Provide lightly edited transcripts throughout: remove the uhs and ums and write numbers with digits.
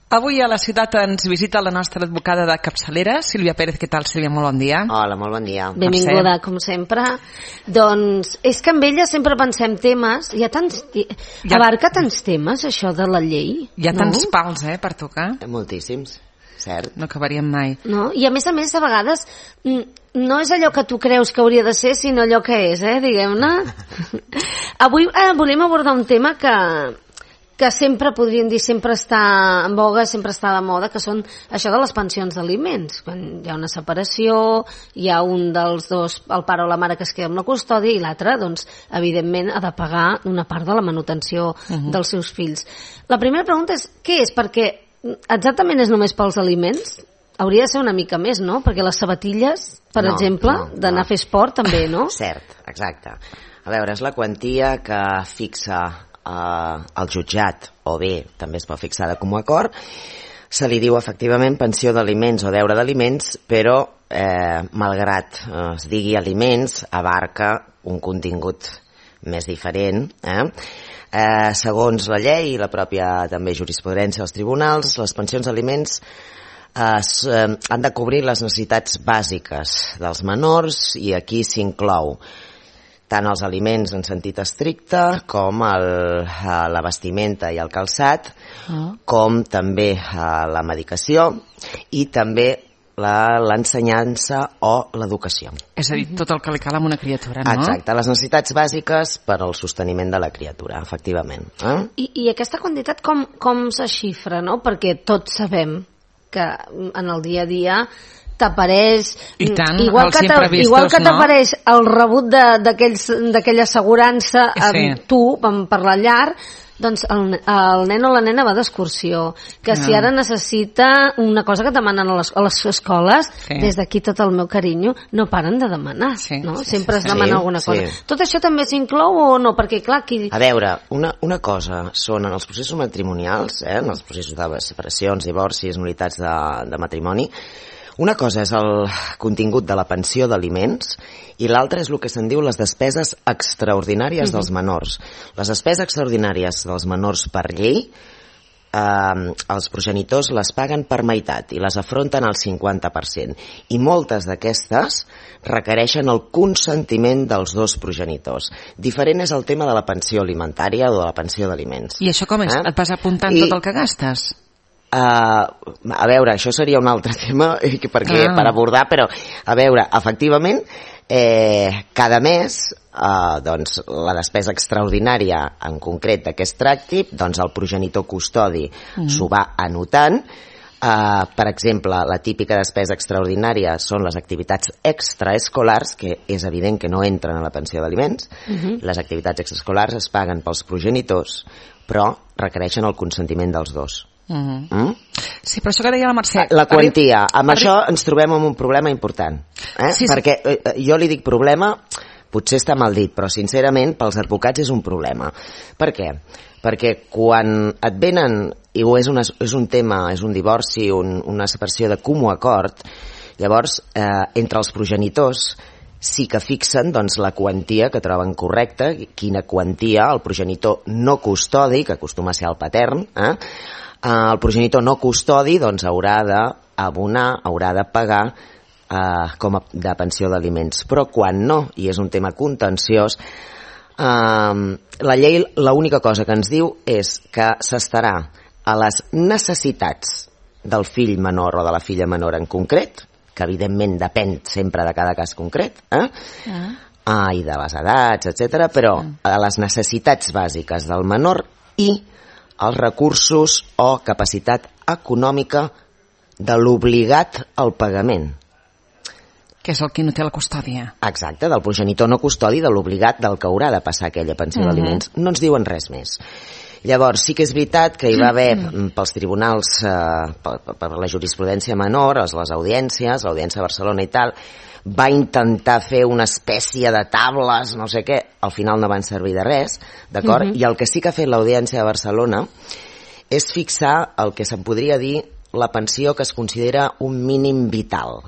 Avui a la ciutat ens visita la nostra advocada de capçalera, Sílvia Pérez. Què tal, Sílvia? Molt bon dia. Hola, molt bon dia. Benvinguda, com sempre. Doncs és que amb ella sempre pensem temes, abarca tants temes, això de la llei. Hi ha tants pals, per tocar. Moltíssims, cert. No acabaríem mai. No? I a més, a vegades, no és allò que tu creus que hauria de ser, sinó allò que és, diguem-ne. Avui volem abordar un tema que sempre podríem dir, sempre està en boga, sempre està de moda, que són això de les pensions d'aliments. Quan hi ha una separació, hi ha un dels dos, el pare o la mare, que es queda amb la custòdia, i l'altre, doncs, evidentment, ha de pagar una part de la manutenció dels seus fills. La primera pregunta és, què és? Perquè exactament és només pels aliments? Hauria de ser una mica més, no? Perquè les sabatilles, per exemple, d'anar a fer esport, també, no? Cert, exacte. A veure, és la quantia que fixa el jutjat, o bé també es pot fixar de comú acord. Se li diu efectivament pensió d'aliments o deure d'aliments, però malgrat es digui aliments, abarca un contingut més diferent. Segons la llei i la pròpia també jurisprudència dels tribunals, les pensions d'aliments han de cobrir les necessitats bàsiques dels menors, i aquí s'inclou tant els aliments en sentit estricte com la vestimenta i el calçat, com també la medicació i també l'ensenyança o l'educació. És a dir, tot el que li cal a una criatura, no? Exacte, les necessitats bàsiques per al sosteniment de la criatura, efectivament. I aquesta quantitat com se xifra, no? Perquè tots sabem que en el dia a dia t'apareix, igual que t'apareix el rebut d'aquella assegurança amb tu per la llar, doncs el nen o la nena va d'excursió, que si ara necessita una cosa que demanen a les escoles, des d'aquí tot el meu carinyo, no paren de demanar, no? Sempre es demana alguna cosa. Tot això també s'inclou o no? Perquè clar, a veure, una cosa són en els processos matrimonials, en els processos de separacions, divorcis, nul·litats de matrimoni. Una cosa és el contingut de la pensió d'aliments i l'altra és el que se'n diu les despeses extraordinàries dels menors. Les despeses extraordinàries dels menors per llei, els progenitors les paguen per meitat i les afronten al 50%. I moltes d'aquestes requereixen el consentiment dels dos progenitors. Diferent és el tema de la pensió alimentària o de la pensió d'aliments. I això com és? Et vas apuntant tot el que gastes? A veure, això seria un altre tema per abordar, però a veure, efectivament cada mes doncs la despesa extraordinària en concret d'aquest tracti, doncs el progenitor custodi s'ho va anotant. Per exemple, la típica despesa extraordinària són les activitats extraescolars, que és evident que no entren a la pensió d'aliments. Les activitats extraescolars es paguen pels progenitors, però requereixen el consentiment dels dos. Sí, però això que deia la Mercè, la quantia, amb això ens trobem amb un problema important, perquè jo li dic problema, potser està mal dit, però sincerament pels advocats és un problema. Per què? Perquè quan et venen i és un tema, és un divorci, una separació de comú acord, llavors entre els progenitors sí que fixen doncs, la quantia que troben correcta, quina quantia el progenitor no custodi, que acostuma a ser el patern, el progenitor no custodi doncs haurà d'abonar, haurà de pagar com a de pensió d'aliments. Però quan no, i és un tema contenciós, la llei l'única cosa que ens diu és que s'estarà a les necessitats del fill menor o de la filla menor en concret, que evidentment depèn sempre de cada cas concret, i de les edats, etc., però a les necessitats bàsiques del menor i els recursos o capacitat econòmica de l'obligat al pagament. Que és el que no té la custòdia. Exacte, del progenitor no custodi, de l'obligat del que haurà de passar aquella pensió d'aliments. No ens diuen res més. Llavors, sí que és veritat que hi va haver pels tribunals, per la jurisprudència menor, les audiències, l'Audiència de Barcelona i tal, va intentar fer una espècie de tables, no sé què, al final no van servir de res, d'acord? I el que sí que ha fet l'Audiència de Barcelona és fixar el que se'n podria dir la pensió que es considera un mínim vital,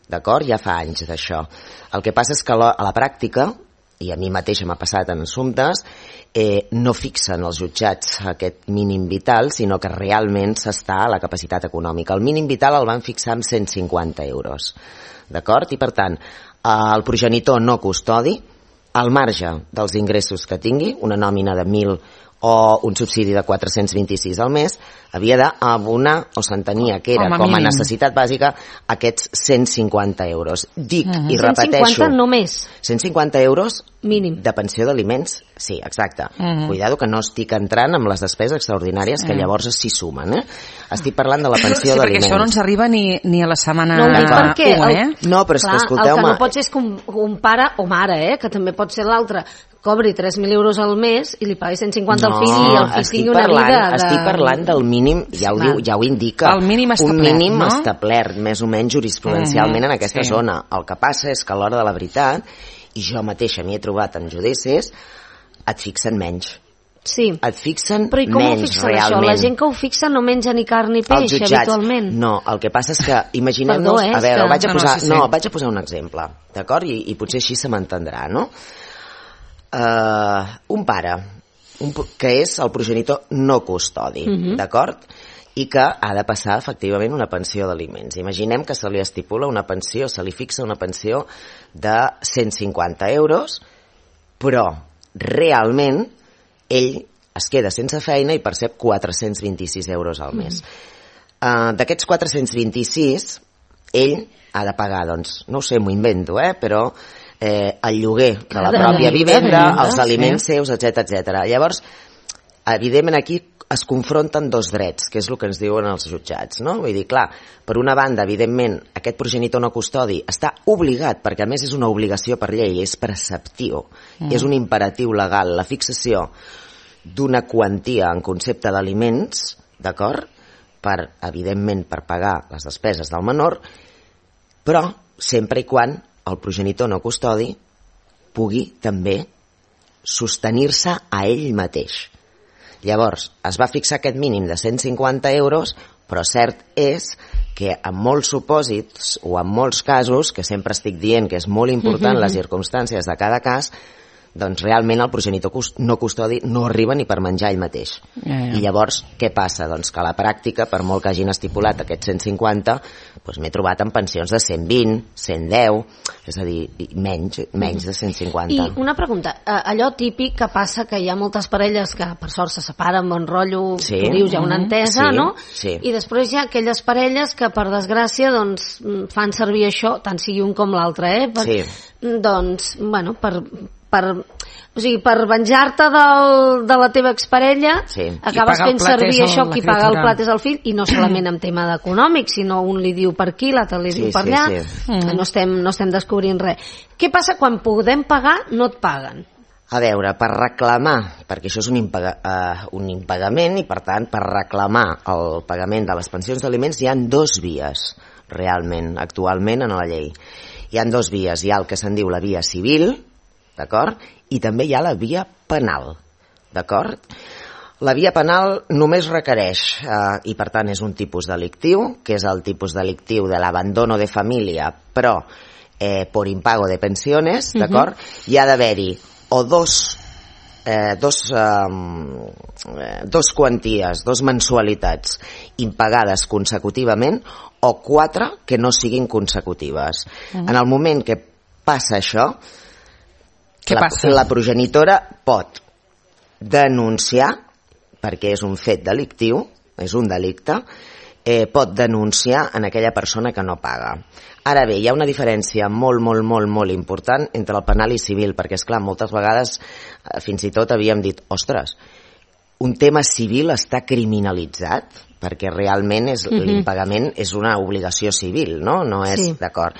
d'acord? Ja fa anys d'això. El que passa és que a la pràctica i a mi mateixa m'ha passat en assumptes, no fixen els jutjats aquest mínim vital, sinó que realment s'està a la capacitat econòmica. El mínim vital el van fixar amb 150 euros, d'acord? I per tant, el progenitor no custodi, al marge dels ingressos que tingui, una nòmina de 1.000 o un subsidi de 426 al mes, havia d'abonar, o s'entenia que era com a necessitat bàsica, aquests 150 euros. Dic, i repeteixo... 150 només? 150 euros mínim de pensió d'aliments, sí, exacte. Cuidado que no estic entrant amb les despeses extraordinàries que llavors s'hi sumen, Estic parlant de la pensió d'aliments. Sí, perquè això no ens arriba ni a la setmana 1, No, però és que escolteu-me... El que no pot ser és que un pare o mare, que també pot ser l'altre, cobri 3.000 euros al mes i li pagui 150 al fill i el fill tingui una vida de... Estic parlant del mínim, ja ho indica, el mínim establert, un mínim establert, més o menys jurisprudencialment en aquesta zona. El que passa és que a l'hora de la veritat, i jo mateixa m'hi he trobat en judicis, et fixen menys. Sí. Et fixen però i com menys, ho fixen realment. Això? La gent que ho fixa no menja ni carn ni peix, habitualment. No, el que passa és que, imaginem-nos... a veure, vaig a posar un exemple, d'acord? I potser així se m'entendrà, no? Un pare que és el progenitor no custodi, d'acord? I que ha de passar efectivament una pensió d'aliments. Imaginem que se li estipula una pensió, se li fixa una pensió de 150 euros, però realment ell es queda sense feina i percep 426 euros al mes. D'aquests 426, ell ha de pagar, doncs, no ho sé, m'ho invento, però el lloguer de la pròpia vivenda, els aliments seus, etc. Llavors, evidentment aquí es confronten dos drets, que és el que ens diuen els jutjats, no? Vull dir, clar, per una banda, evidentment, aquest progenitor no custodi està obligat, perquè a més és una obligació per llei, és preceptiu, és un imperatiu legal, la fixació d'una quantia en concepte d'aliments, d'acord? Evidentment, per pagar les despeses del menor, però sempre i quan el progenitor no custodi pugui també sostenir-se a ell mateix. Llavors, es va fixar aquest mínim de 150 euros, però cert és que en molts supòsits o en molts casos, que sempre estic dient que és molt important les circumstàncies de cada cas, doncs realment el progenitor no custodi no arriba ni per menjar ell mateix. I llavors, què passa? Doncs que a la pràctica, per molt que hagin estipulat aquests 150, doncs m'he trobat en pensions de 120, 110, és a dir, menys de 150. I una pregunta, allò típic que passa que hi ha moltes parelles que per sort se separen, bon rotllo, tu dius, hi ha una entesa, no? Sí. I després hi ha aquelles parelles que per desgràcia doncs fan servir això, tant sigui un com l'altre, Sí. Doncs, bueno, per venjar-te de la teva exparella, acabes fent servir això, qui paga el plat és el fill, i no solament en tema econòmic, sinó un li diu per aquí, l'altre li diu per allà, no estem descobrint res. Què passa quan podem pagar, no et paguen? A veure, per reclamar, perquè això és un impagament, i per tant, per reclamar el pagament de les pensions d'aliments hi ha dues vies, realment, actualment en la llei. Hi ha dues vies, hi ha el que se'n diu la via civil, d'acord? I també hi ha la via penal, d'acord? La via penal només requereix, i per tant és un tipus delictiu, que és el tipus delictiu de l'abandono de família, però por impago de pensiones, d'acord? Hi ha d'haver-hi o dos quanties, dos mensualitats impagades consecutivament o 4 que no siguin consecutives. En el moment que passa això, la progenitora pot denunciar, perquè és un fet delictiu, és un delicte, pot denunciar en aquella persona que no paga. Ara bé, hi ha una diferència molt important entre el penal i civil, perquè, esclar, moltes vegades fins i tot havíem dit, ostres, un tema civil està criminalitzat, perquè realment l'impagament és una obligació civil, no? No és, d'acord.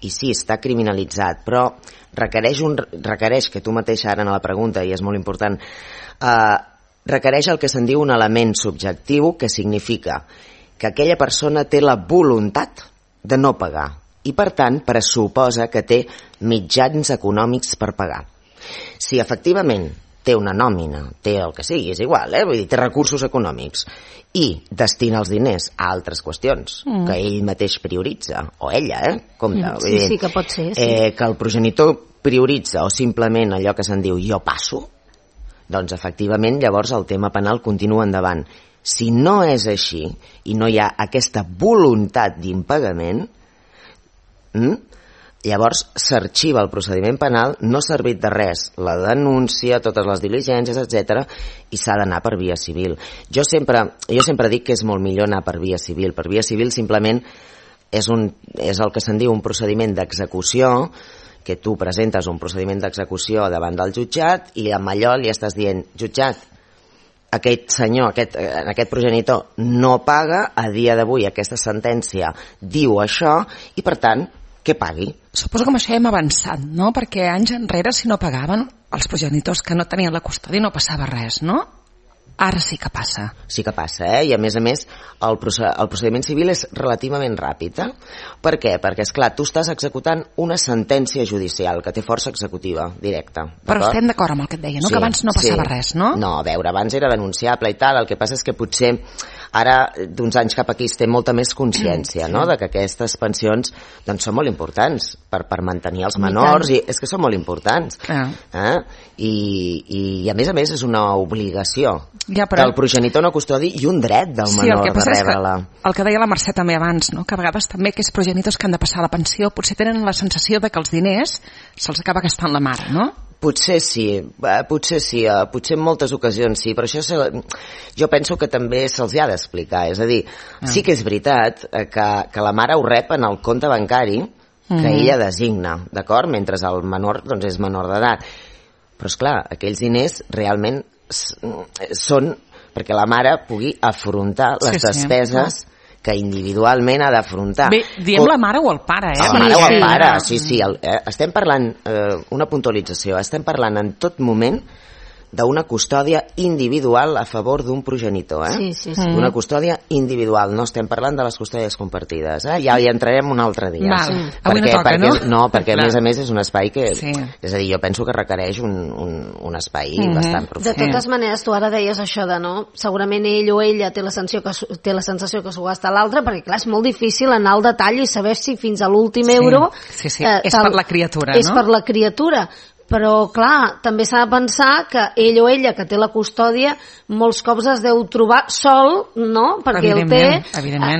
I sí, està criminalitzat, però requereix, que tu mateixa ara en la pregunta, i és molt important, requereix el que se'n diu un element subjectiu, que significa que aquella persona té la voluntat de no pagar i, per tant, pressuposa que té mitjans econòmics per pagar. Si efectivament té una nòmina, té el que sigui, és igual, vull dir, té recursos econòmics i destina els diners a altres qüestions que ell mateix prioritza, o ella, compte. Sí, que pot ser. Que el progenitor prioritza o simplement allò que se'n diu jo passo, doncs efectivament llavors el tema penal continua endavant. Si no és així i no hi ha aquesta voluntat d'impagament, llavors s'arxiva el procediment penal, no ha servit de res la denúncia, totes les diligències, etc, i s'ha d'anar per via civil. Jo sempre dic que és molt millor anar per via civil. Per via civil simplement és el que se'n diu un procediment d'execució, que tu presentes un procediment d'execució davant del jutjat i amb allò li estàs dient, jutjat, aquest senyor, aquest progenitor no paga, a dia d'avui aquesta sentència diu això i per tant que pagui. Suposo que amb això hem avançat, no? Perquè anys enrere si no pagaven els progenitors que no tenien la custòdia no passava res, no? Ara sí que passa. Sí que passa, i a més el procediment civil és relativament ràpid. Per què? Perquè, esclar, tu estàs executant una sentència judicial que té força executiva directa. Però estem d'acord amb el que et deia, no? Sí, que abans no passava res, no? No, a veure, abans era denunciable i tal, el que passa és que potser ara, d'uns anys cap aquí, es té molta més consciència, no?, de que aquestes pensions doncs, són molt importants per mantenir els menors, i és que són molt importants. I a més és una obligació del progenitor no custodi i un dret del menor de rebre-la. El que deia la Mercè també abans, no?, que a vegades també aquests progenitors que han de passar la pensió potser tenen la sensació de que els diners se'ls acaba gastant la mare, no? Potser sí, potser en moltes ocasions sí, però això jo penso que també se'ls ha d'explicar, és a dir, sí que és veritat que la mare ho rep en el compte bancari que ella designa, d'acord? Mentre el menor doncs, és menor d'edat. Però, esclar, aquells diners realment són perquè la mare pugui afrontar les despeses que individualment ha d'afrontar. Bé, diem la mare o el pare, La mare o el pare, sí. Estem parlant, una puntualització, estem parlant en tot moment d'una custòdia individual a favor d'un progenitor, Sí. Una custòdia individual, no estem parlant de les custòdies compartides, Ja hi entrarem un altre dia. Avui no toca, no? No, perquè a més és un espai que, és a dir, jo penso que requereix un espai bastant profund. De totes maneres, tu ara deies això de no, segurament ell o ella té la sensació que s'ho gasta l'altre, perquè clar, és molt difícil anar al detall i saber si fins a l'últim euro és per la criatura, no? És per la criatura. Però, clar, també s'ha de pensar que ell o ella, que té la custòdia, molts cops es deu trobar sol, no?, perquè el té,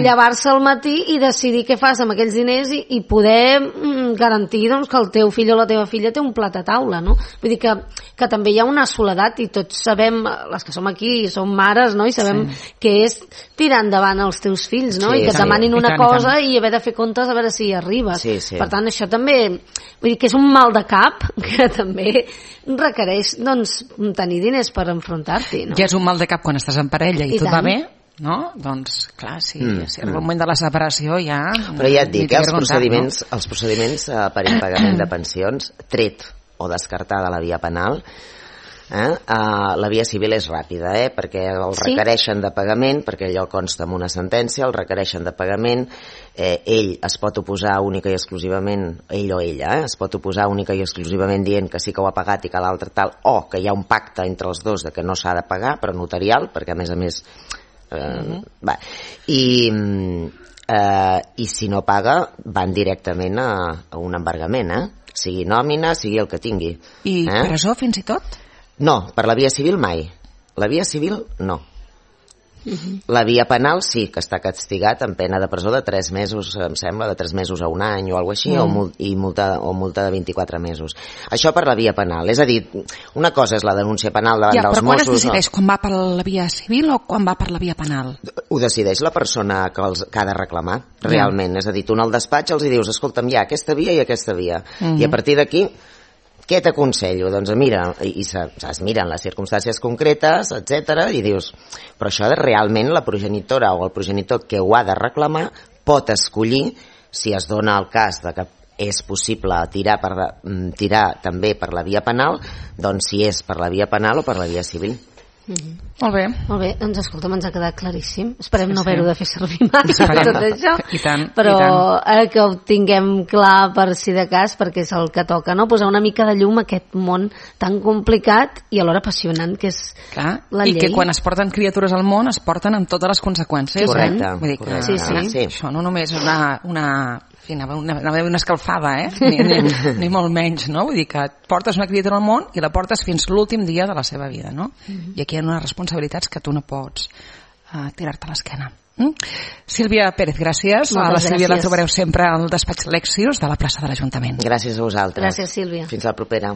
llevar-se al matí i decidir què fas amb aquells diners i poder garantir doncs, que el teu fill o la teva filla té un plat a taula, no? Vull dir que també hi ha una soledat i tots sabem, les que som aquí, som mares, no?, i sabem que és tirar endavant els teus fills, no?, i que et demanin una cosa i haver de fer comptes a veure si hi arribes. Per tant, això també, vull dir que és un mal de cap que també requereix doncs, tenir diners per enfrontar-t'hi, no? Ja és un mal de cap quan estàs en parella i tot va bé, no? Doncs clar, si arriba el moment de la separació ja... Però ja et dic, els procediments per impagament de pensions, tret o descartada la via penal, la via civil és ràpida, perquè el requereixen de pagament, perquè allò consta en una sentència, el requereixen de pagament, ell es pot oposar única i exclusivament, ell o ella, es pot oposar única i exclusivament dient que sí que ho ha pagat i que l'altre tal, o que hi ha un pacte entre els dos de que no s'ha de pagar, però notarial, perquè a més i si no paga van directament a un embargament, sigui nòmina, sigui el que tingui. I presó fins i tot? No, per la via civil mai. La via civil no. La via penal sí, que està castigat amb pena de presó de 3 mesos, em sembla, de 3 mesos a un any o alguna cosa així, o multa de 24 mesos. Això per la via penal. És a dir, una cosa és la denúncia penal davant dels Mossos... Però quan es decideix? Quan va per la via civil o quan va per la via penal? Ho decideix la persona que ha de reclamar, realment. És a dir, tu en el despatx els dius, escolta'm, hi ha aquesta via i aquesta via. I a partir d'aquí... Què t'aconsello? Doncs mira, i es miren les circumstàncies concretes, etc i dius, però això realment la progenitora o el progenitor que ho ha de reclamar pot escollir, si es dona el cas de que és possible tirar també per la via penal, doncs si és per la via penal o per la via civil. Molt bé. Molt bé, doncs escolta'm, ens ha quedat claríssim. Esperem no haver-ho de fer servir massa tot això, però que ho tinguem clar per si de cas, perquè és el que toca, no? Posar una mica de llum a aquest món tan complicat i alhora apassionant que és la llei. I que quan es porten criatures al món es porten amb totes les conseqüències. Correcte. Vull dir que això no només és una anava una escalfada, ni molt menys, no? Vull dir que portes una criatura al món i la portes fins l'últim dia de la seva vida, no? I aquí hi ha unes responsabilitats que tu no pots tirar-te a l'esquena. Sílvia Pérez, gràcies. Moltes la Sílvia gràcies. la trobareu sempre al despatx Lexius de la plaça de l'Ajuntament. Gràcies a vosaltres. Gràcies, Sílvia. Fins la propera.